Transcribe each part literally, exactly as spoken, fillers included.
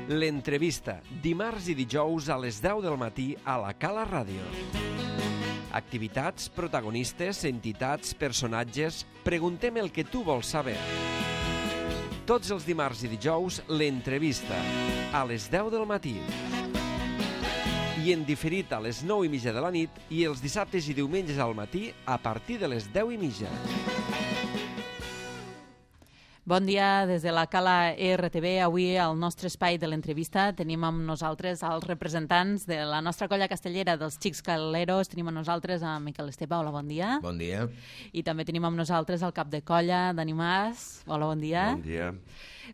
L'entrevista, dimarts i dijous a les deu del matí a la Cala Ràdio. Activitats, protagonistes, entitats, personatges... Preguntem el que tu vols saber. Tots els dimarts i dijous, l'entrevista, a les deu del matí. I en diferit a les nou i mitja de la nit i els dissabtes i diumenges al matí a partir de les deu i mitja. Bon dia des de la Cala R T V. Avui al nostre espai de l'entrevista tenim amb nosaltres els representants de la nostra colla castellera dels Xics Caleros. Tenim amb nosaltres a Miquel Esteve. Hola, bon dia. Bon dia. I també tenim amb nosaltres el cap de colla, Dani Mas. Hola, bon dia. Bon dia.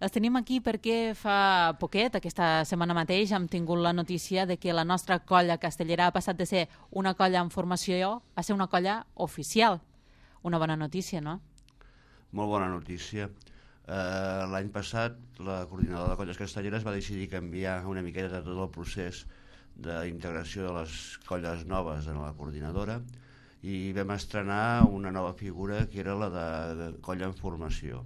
Els tenim aquí perquè fa poquet, aquesta setmana mateix, hem tingut la notícia de que la nostra colla castellera ha passat de ser una colla en formació a ser una colla oficial. Una bona notícia, no? Molt bona notícia. Uh, L'any passat la coordinadora de colles castelleres va decidir canviar una miqueta tot el procés d'integració de les colles noves en la coordinadora i vam estrenar una nova figura que era la de, de colla en formació.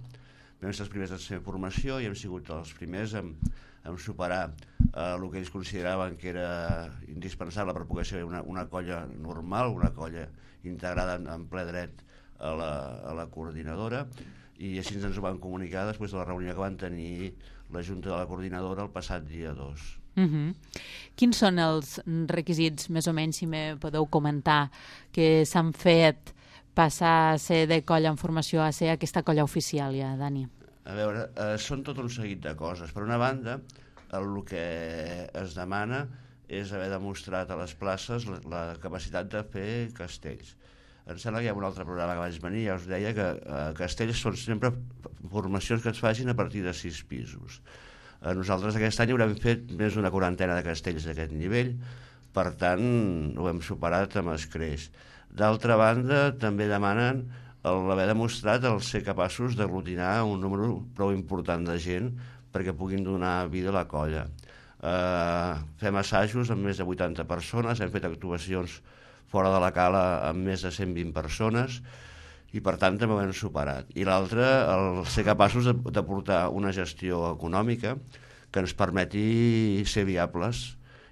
Vam ser els primers en ser en formació i hem sigut els primers en, en superar uh, el que ells consideraven que era indispensable per poder ser una, una colla normal, una colla integrada en, en ple dret a la, a la coordinadora, i així ens ho van comunicar després de la reunió que van tenir la Junta de la Coordinadora el passat dia dos. Uh-huh. Quins són els requisits, més o menys, si me podeu comentar, que s'han fet passar a ser de colla en formació a ser aquesta colla oficial ja, Dani? A veure, eh, són tot un seguit de coses. Per una banda, el que es demana és haver demostrat a les places la, la capacitat de fer castells. Em sembla que hi ha un altre programa que vaig venir, ja us deia que eh, castells són sempre formacions que es facin a partir de sis pisos. Eh, nosaltres aquest any haurem fet més d'una quarantena de castells d'aquest nivell, per tant ho hem superat amb escreix. D'altra banda, també demanen l'haver demostrat el ser capaços d'aglutinar un número prou important de gent perquè puguin donar vida a la colla. Eh, fem assajos amb més de vuitanta persones, hem fet actuacions fora de la Cala amb més de cent vint persones i per tant també ho hem superat. I l'altre, el ser capaços de, de portar una gestió econòmica que ens permeti ser viables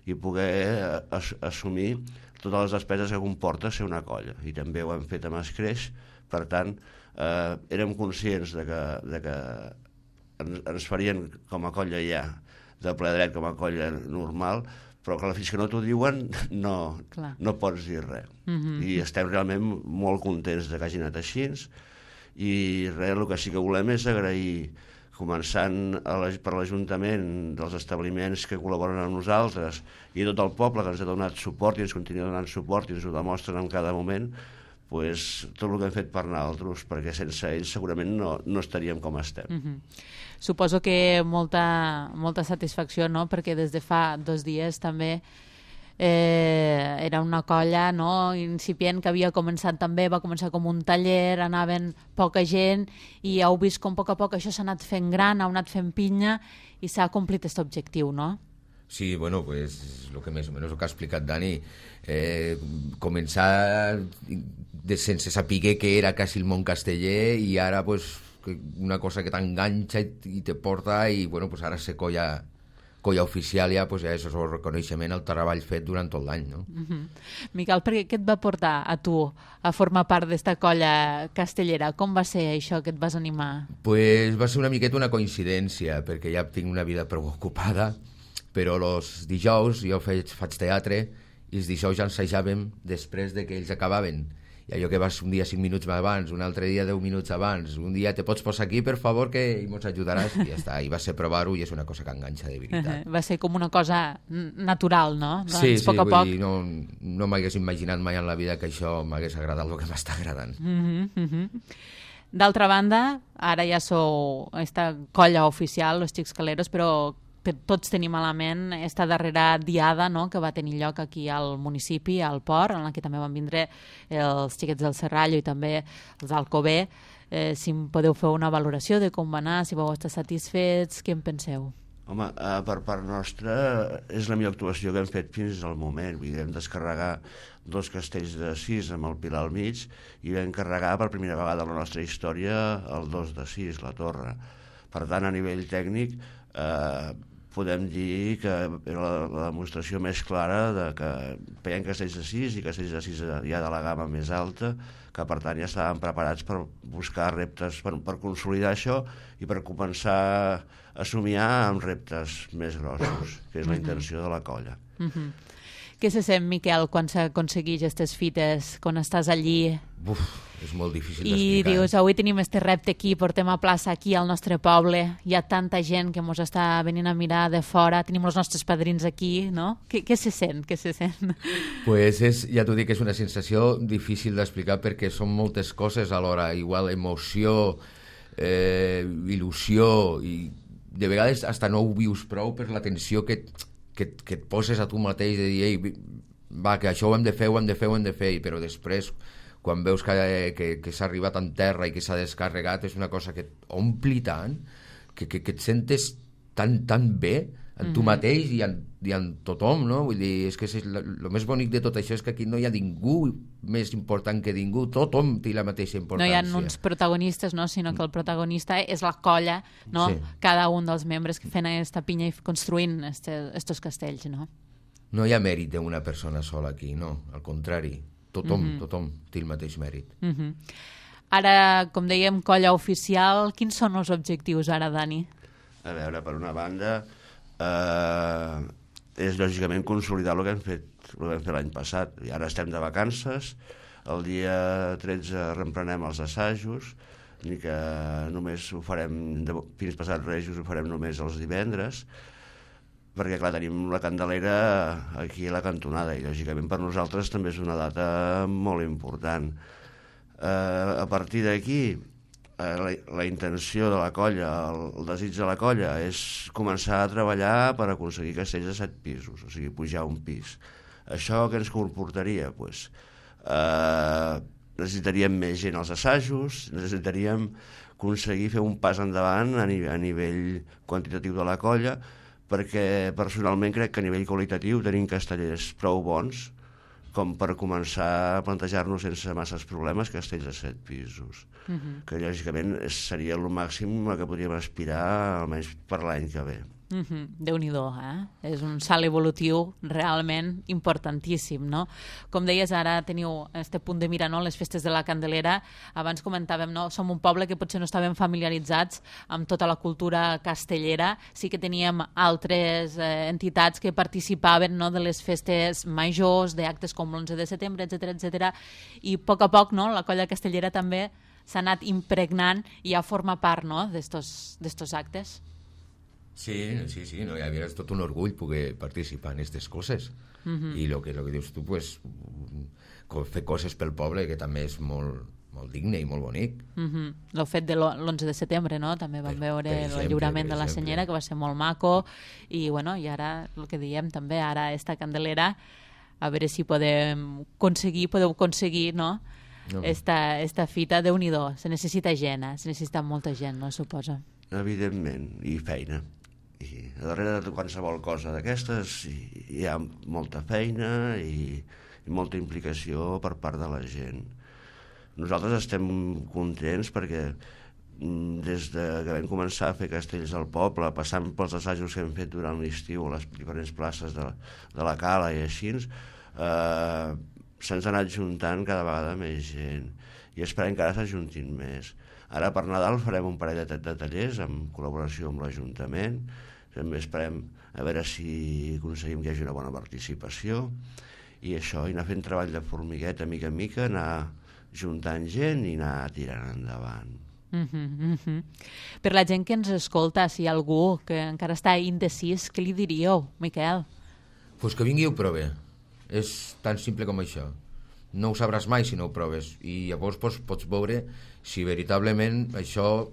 i poder as, assumir totes les despeses que comporta ser una colla. I també ho hem fet amb escreix, per tant eh, érem conscients de que, de que ens, ens farien com a colla ja de ple dret, com a colla normal, però clar, fins que no t'ho diuen no, no pots dir res. Uh-huh. I estem realment molt contents de que hagi anat així i res, el que sí que volem és agrair, començant a la, per l'Ajuntament dels establiments que col·laboren amb nosaltres i tot el poble que ens ha donat suport i ens continua donant suport i ens ho demostren en cada moment, pues, tot el que hem fet per nosaltres, perquè sense ells segurament no, no estaríem com estem. Uh-huh. Suposo que molta, molta satisfacció, no? Perquè des de fa dos dies també eh, era una colla, no? Incipient, que havia començat també, va començar com un taller, anaven poca gent i heu vist com a poc a poc això s'ha anat fent gran, ha anat fent pinya i s'ha complit aquest objectiu, no? Sí, bueno, pues lo que més o menys el que ha explicat Dani, eh, començar de, sense saber què era quasi el món casteller i ara pues una cosa que t'enganxa i, i te porta i bueno, pues ara ser colla, colla oficial ja, pues ja és el reconeixement al treball fet durant tot l'any, no? Uh-huh. Miquel, per què et va portar a tu a formar part d'esta colla castellera? Com va ser això que et vas animar? Pues va ser una miqueta una coincidència, perquè ja tinc una vida prou ocupada, però els dijous jo faig, faig teatre i els dijous ja ensajàvem després de que ells acabaven. I allò que vas un dia cinc minuts abans, un altre dia deu minuts abans, un dia te pots posar aquí, per favor, que ens ajudaràs, i ja està. I va ser provar-ho i és una cosa que enganxa de veritat. Va ser com una cosa natural, no? Doncs, sí, sí, poc a vull poc... dir, no, no m'hagués imaginat mai en la vida que això m'hagués agradat el que m'està agradant. Uh-huh, uh-huh. D'altra banda, ara ja sou esta colla oficial, els Xics Caleros, però tots tenim a la ment esta darrera diada, no?, que va tenir lloc aquí al municipi, al Port, en la que també van vindre els xiquets del Serrallo i també els d'Alcover. Eh, si em podeu fer una valoració de com va anar, si vau estar satisfets, què en penseu? Home, eh, per part nostra és la millor actuació que hem fet fins al moment. Vull dir, vam descarregar dos castells de sis amb el Pilar al mig i vam carregar per primera vegada a la nostra història el dos de sis, la torre. Per tant, a nivell tècnic, eh, podem dir que era la, la demostració més clara de que feien castells de sis i castells de sis ja de la gamma més alta, que per tant ja estaven preparats per buscar reptes, per, per consolidar això i per començar a somiar amb reptes més grossos, que és la intenció de la colla. Mm-hmm. Què se sent, Miquel, quan s'aconsegueix aquestes fites, quan estàs allí? Uf, és molt difícil I d'explicar. dius, avui tenim este repte aquí, portem a plaça aquí al nostre poble, hi ha tanta gent que mos està venint a mirar de fora, tenim els nostres padrins aquí, no? Què, què se sent? Què se sent? Pues és, ja t'ho dic, és una sensació difícil d'explicar perquè són moltes coses alhora, igual emoció, eh, il·lusió, i de vegades hasta no ho vius prou per la tensió que, que, que et poses a tu mateix de dir, ei, va, que això ho hem de fer, ho hem de fer, ho hem de fer, però després quan veus que, que, que s'ha arribat en terra i que s'ha descarregat, és una cosa que et ompli tant, que, que, que et sentes tan, tan bé en tu mateix i en, i en tothom, no? Vull dir, és que el més bonic de tot això és que aquí no hi ha ningú més important que ningú, tothom té la mateixa importància. No hi ha uns protagonistes, no? Sinó que el protagonista és la colla, no? Sí. Cada un dels membres que fent aquesta pinya i construint estos castells, no? No hi ha mèrit d'una persona sola aquí, no, al contrari. Tothom, mm-hmm. tothom té el mateix mèrit. Mm-hmm. Ara, com dèiem, colla oficial, quins són els objectius ara, Dani? A veure, per una banda, eh, és lògicament consolidar el que hem fet, el que vam fer l'any passat. I ara estem de vacances, el dia tretze reemprenem els assajos, ni que només ho farem, de, fins passat Rejos ho farem només els divendres, perquè clar, tenim la Candelera aquí a la cantonada i lògicament per nosaltres també és una data molt important. Eh, a partir d'aquí, eh, la, la intenció de la colla, el, el desig de la colla és començar a treballar per aconseguir castells de set pisos, o sigui, pujar un pis. Això què ens comportaria? Pues, eh, necessitaríem més gent als assajos, necessitaríem aconseguir fer un pas endavant a, ni, a nivell quantitatiu de la colla, perquè personalment crec que a nivell qualitatiu tenim castellers prou bons com per començar a plantejar-nos sense masses problemes castells de set pisos, uh-huh. que lògicament seria el màxim a què podríem aspirar almenys per l'any que ve. Uh-huh. Déu-n'hi-do, eh? És un salt evolutiu realment importantíssim, no? Com deies, ara teniu este punt de mira, no? Les festes de la Candelera. Abans comentàvem, no? Som un poble que potser no estàvem familiaritzats amb tota la cultura castellera. Sí que teníem altres eh, entitats que participaven, no? De les festes majors, d'actes com l'onze de setembre, etcètera, etcètera. I a poc a poc, no? La colla castellera també s'ha anat impregnant i ja forma part, no? d'estos, d'estos actes. Sí, sí, sí, no, ja és tot un orgull poder participar en aquestes coses. Uh-huh. I el que, lo que dius tu, pues, fer coses pel poble, que també és molt, molt digne i molt bonic. Uh-huh. El fet de l'onze de setembre, no? També vam per, veure per exemple, el lliurament de la exemple. senyera, que va ser molt maco, i, bueno, i ara, el que diem també, ara esta Candelera, a veure si podem aconseguir, podeu aconseguir, no? No. Esta, esta fita, Déu-n'hi-do, se necessita gent, eh? Se necessita molta gent, no, suposa. Evidentment, i feina. I a darrere de qualsevol cosa d'aquestes hi ha molta feina i, i molta implicació per part de la gent. Nosaltres estem contents perquè des de que vam començar a fer castells al poble, passant pels assajos que hem fet durant l'estiu a les diferents places de, de la Cala i així, eh, se'ns ha anat juntant cada vegada més gent i esperem que ara s'ajuntin més. Ara per Nadal farem un parell de, de tallers en col·laboració amb l'Ajuntament. També esperem a veure si aconseguim que hi hagi una bona participació i això, i anar fent treball de formigueta mica en mica, anar juntant gent i anar tirant endavant. Uh-huh, uh-huh. Per la gent que ens escolta, si hi ha algú que encara està indecís, què li diríeu, Miquel? Pues que vingui i ho prove. És tan simple com això. No ho sabràs mai si no ho proves i llavors pues, pots veure si veritablement això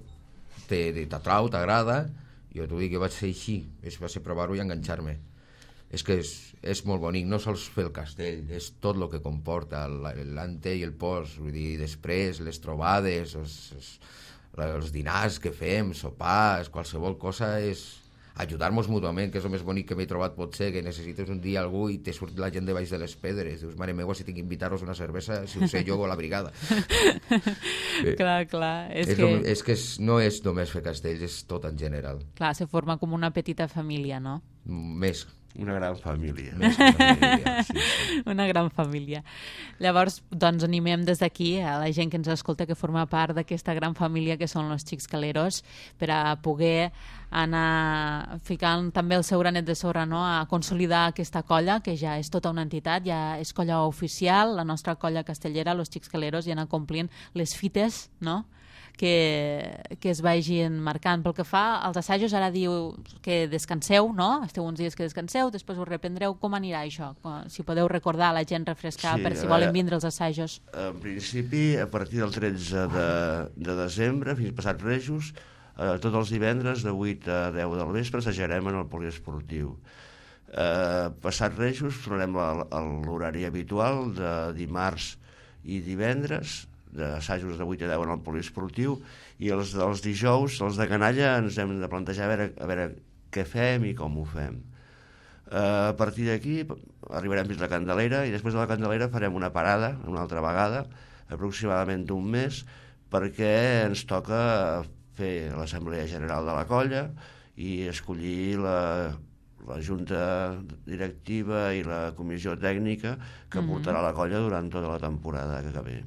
t'atrau, t'agrada. Jo t'ho dic que vaig ser així, va ser provar-ho i enganxar-me. És que és, és molt bonic, no sols fer el castell, és tot el que comporta, l'ante i el post, vull dir, després les trobades, els, els, els dinars que fem, sopars, qualsevol cosa és ajudar-nos mútuament, que és el més bonic que m'he trobat potser, que necessites un dia algú i te surt la gent de baix de les pedres. Dius, mare meva, si tinc que invitar-vos una cervesa, si ho sé jo o la brigada. Clar, clar. És, és, que... el, és que és, no és només fer castells, és tot en general. Clar, se forma com una petita família, no? Més. Una gran família. Més que família, sí, sí. Una gran família. Llavors, doncs, animem des d'aquí a la gent que ens escolta que forma part d'aquesta gran família que són los Xics Caleros per a poder anar ficant també el seu granet de sorra, no? A consolidar aquesta colla, que ja és tota una entitat, ja és colla oficial, la nostra colla castellera, los Xics Caleros, i anar complint les fites, no?, que, que es vagin marcant. Pel que fa als assajos, ara diu que descanseu, no? Esteu uns dies que descanseu, després us reprendreu. Com anirà això? Si podeu recordar a la gent, refrescar, sí, per si volen vindre els assajos. En principi, a partir del tretze de, de desembre, fins passat Rejos, eh, tots els divendres de vuit a deu del vespre assajarem en el poliesportiu. Eh, passat Rejos tornarem a l'horari habitual de dimarts i divendres, d'assajos de vuit a deu en el poliesportiu, i els dels dijous, els de canalla, ens hem de plantejar a veure, a veure què fem i com ho fem. Uh, a partir d'aquí arribarem fins a la Candelera, i després de la Candelera farem una parada, una altra vegada, aproximadament d'un mes, perquè ens toca fer l'Assemblea General de la colla i escollir la, la Junta Directiva i la Comissió Tècnica que mm-hmm. portarà la colla durant tota la temporada que ve.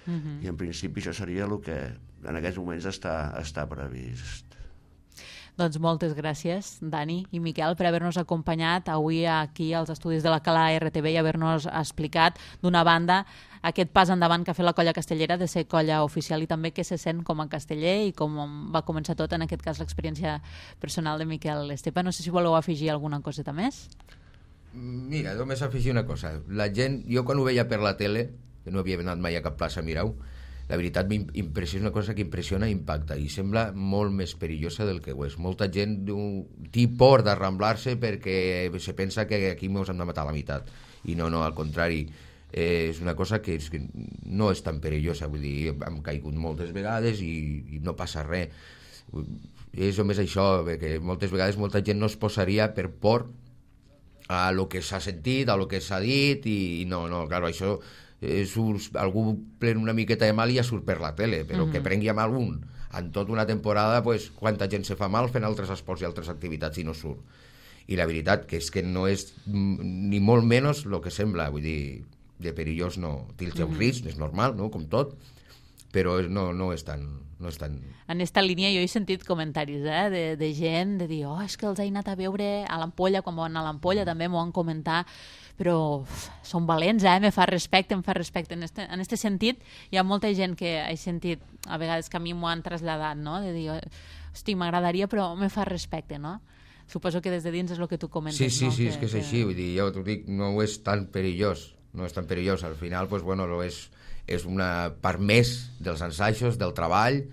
Uh-huh. I en principi això seria el que en aquests moments està, està previst. Doncs moltes gràcies, Dani i Miquel, per haver-nos acompanyat avui aquí als estudis de la Cala R T V i haver-nos explicat d'una banda aquest pas endavant que ha fet la colla castellera de ser colla oficial i també què se sent com a casteller i com va començar tot, en aquest cas l'experiència personal de Miquel Estepa. No sé si voleu afegir alguna coseta més. Mira, només afegir una cosa. La gent, jo quan ho veia per la tele, que no havia anat mai a cap plaça a mirar-ho, la veritat m'impressiona, una cosa que impressiona i impacta, i sembla molt més perillosa del que ho és. Molta gent té por d'arramblar-se perquè se pensa que aquí ens hem de matar a la meitat, i no, no, al contrari, eh, és una cosa que, és, que no és tan perillosa, vull dir, hem caigut moltes vegades i, i no passa res. És només això, que moltes vegades molta gent no es posaria per por a lo que s'ha sentit, a lo que s'ha dit, i, i no, no, clar, això Eh, surt, algú pren una miqueta de mal i ja surt per la tele, però mm-hmm. que prengui mal un en tota una temporada, pues, quanta gent se fa mal fent altres esports i altres activitats i no surt. I la veritat que és que no és ni molt menys el que sembla, vull dir, de perillós no, té el seu mm-hmm. risc, és normal, no?, com tot, però no, no és tan... No és tan... En esta línia jo he sentit comentaris eh, de, de gent de dir, oh, és que els he anat a veure a l'Ampolla, quan van a l'Ampolla també m'ho han comentat, però uf, són valents, eh? Me fa respecte, em fa respecte. En este, en este sentit, hi ha molta gent que he sentit, a vegades que a mi m'ho han traslladat, no?, de dir, hosti, m'agradaria, però me fa respecte, no? Suposo que des de dins és el que tu comentes, sí, sí, no? Sí, que, és que és que... així, vull dir, jo t'ho dic, no és tan perillós, no és tan perillós, al final, pues, bueno, és, és una part més dels ensajos, del treball,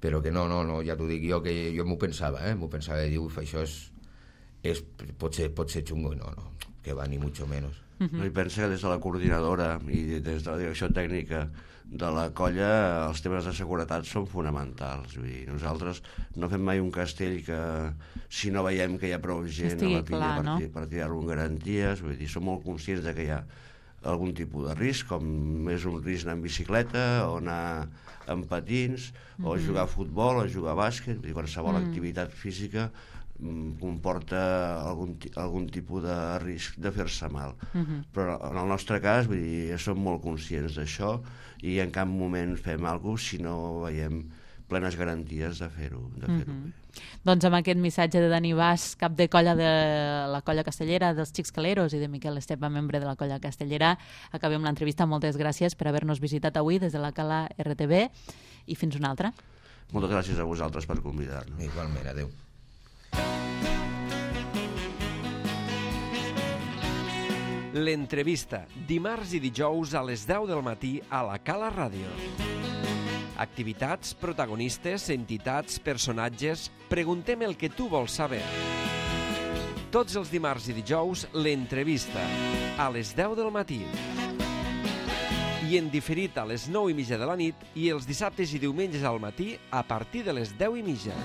però que no, no, no, ja t'ho dic jo, que jo m'ho pensava, eh? M'ho pensava de dir, uf, això és, és pot, ser, pot ser xungo, i no, no, que va ni mucho menos. Uh-huh. No, i pensa que des de la coordinadora i des de la direcció tècnica de la colla els temes de seguretat són fonamentals. Vull dir, nosaltres no fem mai un castell que si no veiem que hi ha prou gent estigui a la pinya clar, per, no? per tirar-lo en garanties, vull dir, som molt conscients de que hi ha algun tipus de risc, com és un risc anar en bicicleta o anar en patins, mm-hmm. o jugar a futbol o jugar a bàsquet, vull dir, qualsevol mm. activitat física comporta algun, algun tipus de risc de fer-se mal. Uh-huh. Però en el nostre cas, vull dir, som molt conscients d'això i en cap moment fem alguna cosa si no veiem plenes garanties de fer-ho de fer-ho uh-huh. bé. Doncs amb aquest missatge de Dani Bas, cap de colla de la colla castellera dels Xics Caleros, i de Miquel Estepa, membre de la colla castellera, acabem l'entrevista. Moltes gràcies per haver-nos visitat avui des de la Cala R T V i fins una altra. Moltes gràcies a vosaltres per convidar-nos. Igualment, adeu. L'entrevista, dimarts i dijous a les deu del matí a la Cala Ràdio. Activitats, protagonistes, entitats, personatges... Preguntem el que tu vols saber. Tots els dimarts i dijous, l'entrevista, a les deu del matí. I en diferit a les nou i mitja de la nit i els dissabtes i diumenges al matí a partir de les deu i mitja.